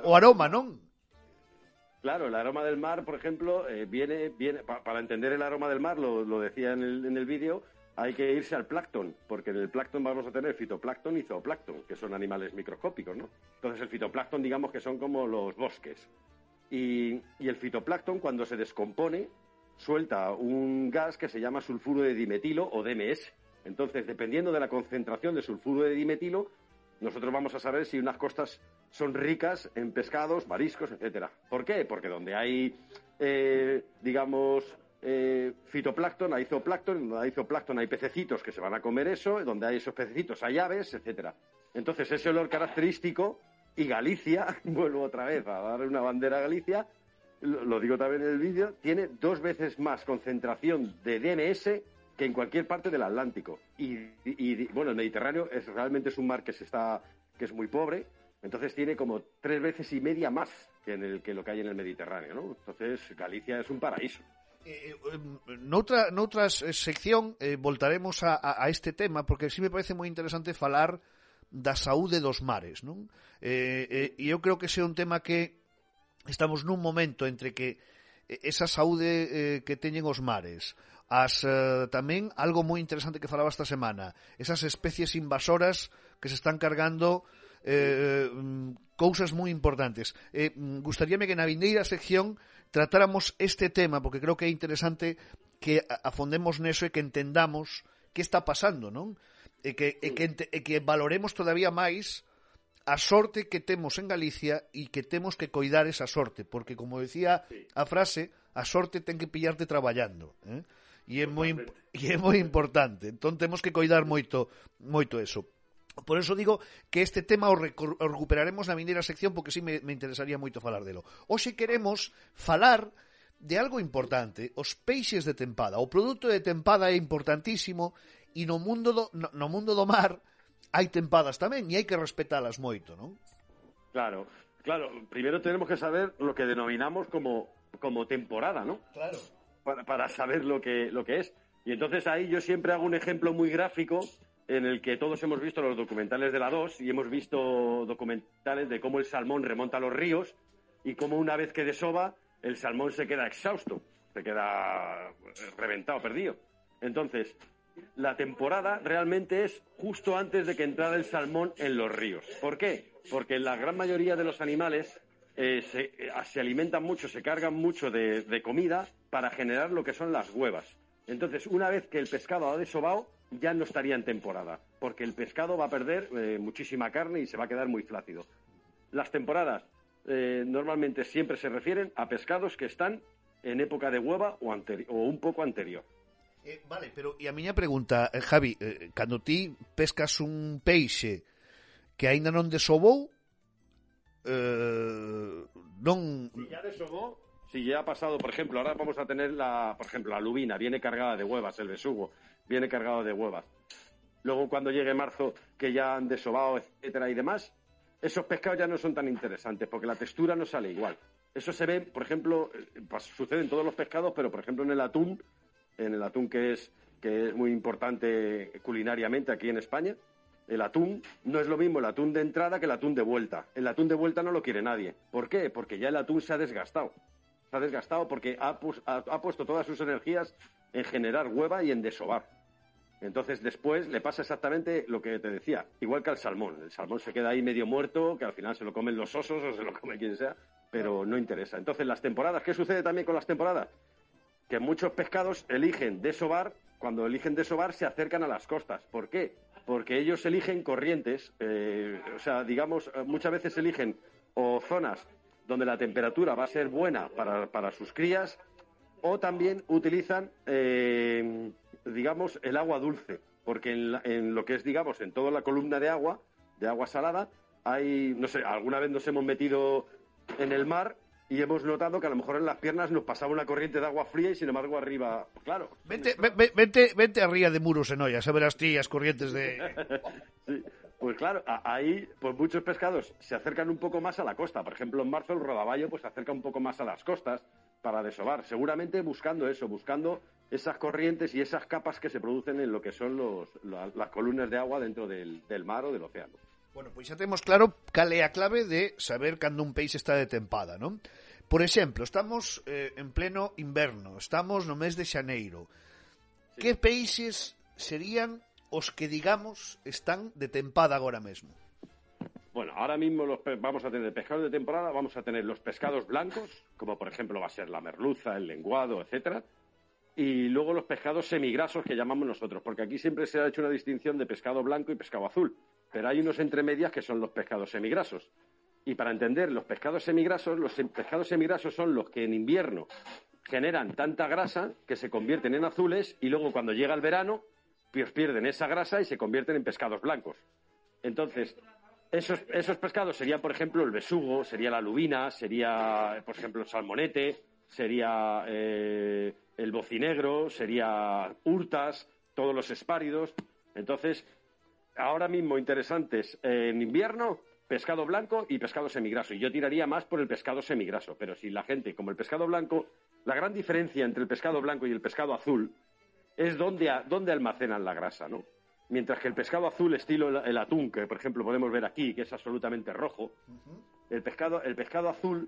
O aroma, non? Claro, el aroma del mar, por ejemplo, viene para entender el aroma del mar, lo decía en el vídeo, hay que irse al plancton, porque en el plancton vamos a tener fitoplancton y zooplancton, que son animales microscópicos, ¿no? Entonces el fitoplancton, digamos que son como los bosques. Y el fitoplancton, cuando se descompone, suelta un gas que se llama sulfuro de dimetilo o DMS. Entonces, dependiendo de la concentración de sulfuro de dimetilo, nosotros vamos a saber si unas costas son ricas en pescados, mariscos, etcétera. ¿Por qué? Porque donde hay, fitoplancton, hay zooplancton, donde hay zooplancton hay pececitos que se van a comer eso, donde hay esos pececitos hay aves, etcétera. Entonces, ese olor característico, y Galicia, vuelvo otra vez a dar una bandera a Galicia, lo digo también en el vídeo, tiene 2 veces más concentración de DMS que en cualquier parte del Atlántico. Y bueno, el Mediterráneo realmente es un mar que es muy pobre, entonces tiene como 3 veces y media más que lo que hay en el Mediterráneo, ¿no? Entonces Galicia es un paraíso. Noutra sección voltaremos a este tema, porque sí me parece moi interesante falar da saúde dos mares, non? E eu creo que ese é un tema que estamos nun momento entre que esa saúde que teñen os mares, tamén algo moi interesante que falaba esta semana, esas especies invasoras que se están cargando cousas moi importantes. Gustaríame que na vindeira sección tratáramos este tema, porque creo que é interesante que afondemos neso e que entendamos que está pasando, non? E que valoremos todavía máis a sorte que temos en Galicia e que temos que coidar esa sorte, porque, como decía a frase, a sorte ten que pillarte traballando, e é moi importante. Entón temos que coidar moito eso. Por eso digo que este tema o recuperaremos na vindeira sección, porque sí me interesaría moito falar delo. Hoxe queremos falar de algo importante, os peixes de tempada. O produto de tempada é importantísimo, e no mundo do mar hai tempadas tamén, e hai que respetalas moito, non? Claro. Primero tenemos que saber lo que denominamos como temporada, ¿no? Claro. Para saber lo que es. Y entonces ahí yo siempre hago un ejemplo muy gráfico en el que todos hemos visto los documentales de la 2 y hemos visto documentales de cómo el salmón remonta los ríos y cómo una vez que desova el salmón se queda exhausto, se queda reventado, perdido. Entonces, la temporada realmente es justo antes de que entrara el salmón en los ríos. ¿Por qué? Porque la gran mayoría de los animales se alimentan mucho, se cargan mucho de comida para generar lo que son las huevas. Entonces, una vez que el pescado ha desovado, ya no estaría en temporada, porque el pescado va a perder muchísima carne y se va a quedar muy flácido. Las temporadas normalmente siempre se refieren a pescados que están en época de hueva o un poco anterior. Vale, pero e a miña pregunta, Javi, cando ti pescas un peixe que aínda non desovou, non... Si ya desovó, si ya ha pasado, por ejemplo, ahora vamos a tener la lubina, viene cargada de huevas, el besugo, viene cargado de huevas. Luego cuando llegue marzo, que ya han desovado, etcétera y demás, esos pescados ya no son tan interesantes, porque la textura no sale igual. Eso se ve, por ejemplo, sucede en todos los pescados, pero por ejemplo en el atún que es muy importante culinariamente aquí en España, el atún no es lo mismo el atún de entrada que el atún de vuelta. El atún de vuelta no lo quiere nadie. ¿Por qué? Porque ya el atún se ha desgastado. Se ha desgastado porque ha puesto todas sus energías en generar hueva y en desovar. Entonces después le pasa exactamente lo que te decía, igual que al salmón. El salmón se queda ahí medio muerto, que al final se lo comen los osos o se lo come quien sea, pero no interesa. Entonces las temporadas, ¿qué sucede también con las temporadas? Que muchos pescados eligen desovar, cuando eligen desovar se acercan a las costas. ¿Por qué? Porque ellos eligen corrientes, muchas veces eligen o zonas donde la temperatura va a ser buena para sus crías, o también utilizan, el agua dulce, porque en lo que es, en toda la columna de agua salada, alguna vez nos hemos metido en el mar y hemos notado que a lo mejor en las piernas nos pasaba una corriente de agua fría y sin embargo arriba, claro. Vente arriba de Muros en Ollas, a ver as tías corrientes de... Sí. Pues claro, ahí pues muchos pescados se acercan un poco más a la costa. Por ejemplo, en marzo el rodaballo pues se acerca un poco más a las costas para desovar, seguramente buscando eso, buscando esas corrientes y esas capas que se producen en lo que son las columnas de agua dentro del mar o del océano. Bueno, pois xa temos claro cal é a clave de saber cando un peixe está de tempada, non? Por exemplo, estamos en pleno inverno, estamos no mes de xaneiro. Sí. Que peixes serían os que, digamos, están de tempada agora mesmo? Bueno, ahora mismo vamos a tener pescados de temporada, vamos a tener los pescados blancos, como por ejemplo va a ser la merluza, el lenguado, etcétera, y luego los pescados semigrasos que llamamos nosotros, porque aquí siempre se ha hecho una distinción de pescado blanco y pescado azul, pero hay unos entremedias que son los pescados semigrasos. Y para entender los pescados semigrasos son los que en invierno generan tanta grasa que se convierten en azules y luego cuando llega el verano pues pierden esa grasa y se convierten en pescados blancos. Entonces, esos pescados serían, por ejemplo, el besugo, sería la lubina, sería, por ejemplo, el salmonete, sería el bocinegro, sería hurtas, todos los espáridos. Entonces, ahora mismo interesantes en invierno, pescado blanco y pescado semigraso. Y yo tiraría más por el pescado semigraso. Pero si la gente, como el pescado blanco, la gran diferencia entre el pescado blanco y el pescado azul es dónde almacenan la grasa, ¿no? Mientras que el pescado azul, estilo el atún, que por ejemplo podemos ver aquí, que es absolutamente rojo, el pescado azul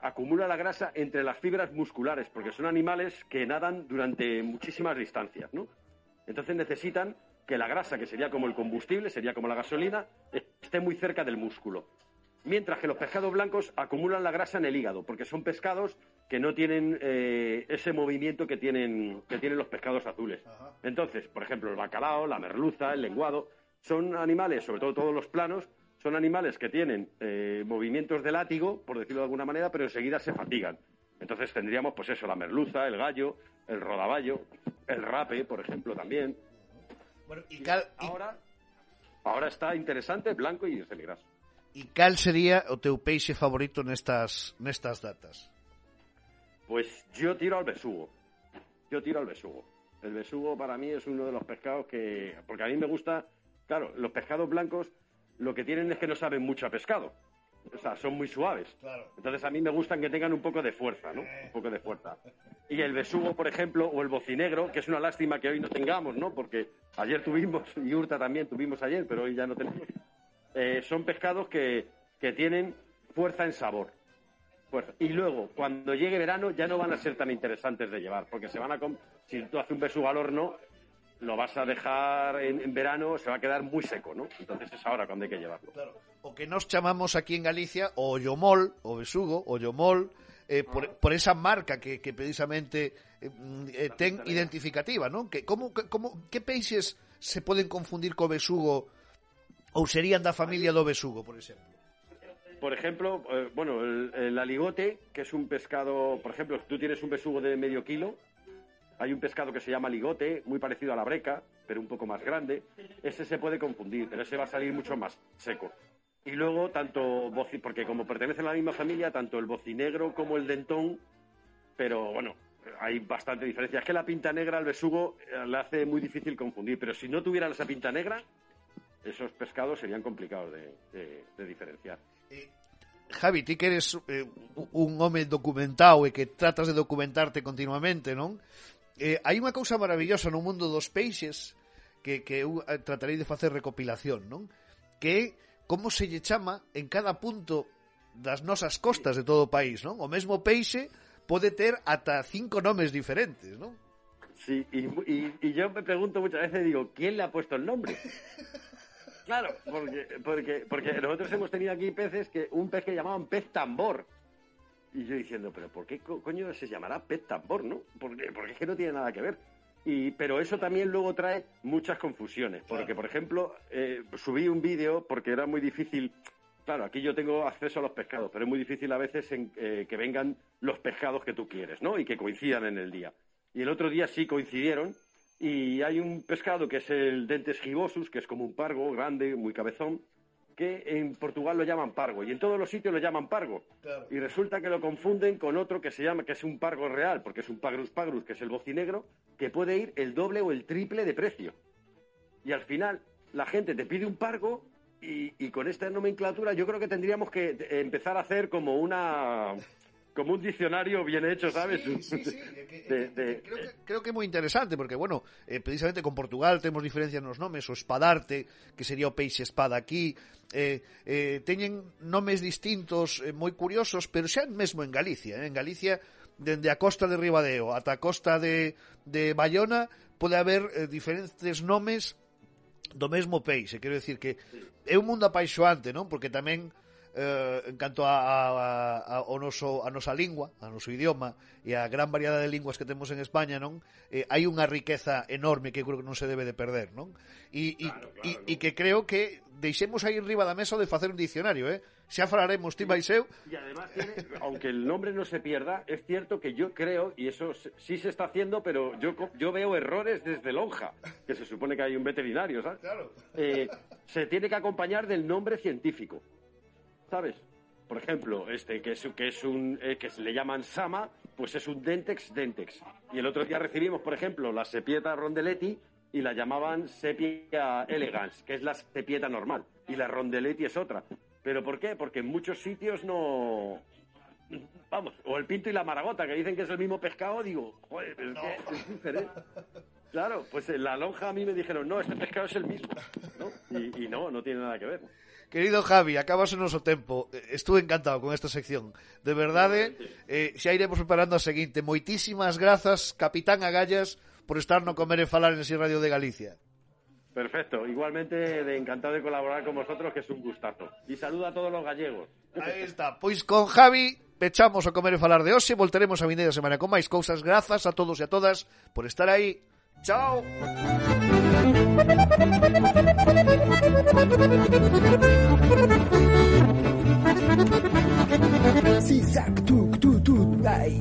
acumula la grasa entre las fibras musculares, porque son animales que nadan durante muchísimas distancias, ¿no? Entonces necesitan que la grasa, que sería como el combustible, sería como la gasolina, esté muy cerca del músculo. Mientras que los pescados blancos acumulan la grasa en el hígado, porque son pescados que no tienen ese movimiento que tienen los pescados azules. Ajá. Entonces, por ejemplo, el bacalao, la merluza, el lenguado, son animales, sobre todo todos los planos, son animales que tienen movimientos de látigo, por decirlo de alguna manera, pero enseguida se fatigan. Entonces tendríamos, pues eso, la merluza, el gallo, el rodaballo, el rape, por ejemplo, también. Bueno, ahora está interesante, blanco y semigraso. E cal sería o teu peixe favorito nestas datas? Pues yo tiro al besugo. El besugo para mí es uno de los pescados que... Porque a mí me gusta... Claro, los pescados blancos lo que tienen es que no saben mucho a pescado. O sea, son muy suaves. Claro. Entonces a mí me gustan que tengan un poco de fuerza, ¿no? Un poco de fuerza. Y el besugo, por ejemplo, o el bocinegro, que es una lástima que hoy no tengamos, ¿no? Porque ayer tuvimos, y Urta también tuvimos ayer, pero hoy ya no tenemos... son pescados que tienen fuerza en sabor. Fuerza. Y luego, cuando llegue verano, ya no van a ser tan interesantes de llevar, porque si tú haces un besugo al horno, lo vas a dejar en verano, se va a quedar muy seco, ¿no? Entonces es ahora cuando hay que llevarlo. Claro. O que nos chamamos aquí en Galicia o ollomol, o besugo, ollomol, por esa marca que precisamente ten identificativa, ¿no? Que peixes se poden confundir co besugo ou serían da familia do besugo, por exemplo? Por ejemplo, el aligote, que es un pescado, por ejemplo, tú tienes un besugo de medio kilo, hay un pescado que se llama aligote, muy parecido a la breca, pero un poco más grande, ese se puede confundir, pero ese va a salir mucho más seco. Y luego, porque como pertenecen a la misma familia, tanto el bocinegro como el dentón, pero bueno, hay bastante diferencia. Es que la pinta negra al besugo le hace muy difícil confundir, pero si no tuvieran esa pinta negra, esos pescados serían complicados de diferenciar. Javi, ti que eres un home documentado e que tratas de documentarte continuamente, non? Hai unha cousa maravillosa no mundo dos peixes que eu tratarei de facer recopilación, non? Que é como se lle chama en cada punto das nosas costas de todo o país, non? O mesmo peixe pode ter ata 5 nomes diferentes, non? Sí, y yo me pregunto muchas veces, digo, ¿quién le ha puesto el nombre? Claro, porque nosotros hemos tenido aquí un pez que llamaban pez tambor. Y yo diciendo, pero ¿por qué coño se llamará pez tambor, no? Porque es que no tiene nada que ver. Pero eso también luego trae muchas confusiones. Porque, por ejemplo, subí un vídeo porque era muy difícil. Claro, aquí yo tengo acceso a los pescados, pero es muy difícil a veces que vengan los pescados que tú quieres, ¿no? Y que coincidan en el día. Y el otro día sí coincidieron. Y hay un pescado que es el Dentes gibosus, que es como un pargo grande, muy cabezón, que en Portugal lo llaman pargo, y en todos los sitios lo llaman pargo. Claro. Y resulta que lo confunden con otro que es un pargo real, porque es un pagrus pagrus, que es el bocinegro, que puede ir el doble o el triple de precio. Y al final, la gente te pide un pargo y con esta nomenclatura yo creo que tendríamos que empezar a hacer como un diccionario bien hecho, ¿sabes? Sí. Creo que é moi interesante, porque, bueno, precisamente con Portugal temos diferencias nos nomes, o espadarte, que sería o peixe espada aquí, teñen nomes distintos moi curiosos, pero xa mesmo en Galicia, en Galicia, dende a costa de Ribadeo ata a costa de Bayona, pode haber diferentes nomes do mesmo peixe. Quero decir que é un mundo apaixoante, non? Porque tamén en canto a nosa lingua, a noso idioma e a gran variedade de linguas que temos en España, non? Hai unha riqueza enorme que creo que non se debe de perder, non? E que creo que deixemos aí enriba da mesa de facer un diccionario, xa falaremos ti máis eu. Y además, aunque el nombre no se pierda, es cierto que yo creo, y eso sí se está haciendo, pero yo veo errores desde Lonja, que se supone que hay un veterinario, ¿sabes? Claro. Se tiene que acompañar del nombre científico, ¿sabes? Por ejemplo, que se le llaman Sama, pues es un Dentex. Y el otro día recibimos, por ejemplo, la Sepieta rondeleti y la llamaban Sepia elegans, que es la sepieta normal, y la rondeleti es otra. ¿Pero por qué? Porque en muchos sitios no... Vamos, o el pinto y la maragota, que dicen que es el mismo pescado, digo, joder, pero es diferente. Claro, pues en la Lonja a mí me dijeron, no, este pescado es el mismo, ¿no? Y no tiene nada que ver. Querido Javi, acabas o noso tempo. Estuve encantado con esta sección. De verdade, xa iremos preparando a seguinte. Moitísimas grazas, Capitán Agallas, por estar no Comer e Falar en Si Radio de Galicia. Perfecto, igualmente encantado de colaborar con vosotros, que es un gustazo. Y saludo a todos los gallegos. Aí está, pois con Javi pechamos o Comer e Falar de hoxe. Voltaremos a vindeira semana con máis cousas. Grazas a todos e a todas por estar aí. Chao. Si, sac, tuk, tuk, tuk, ay,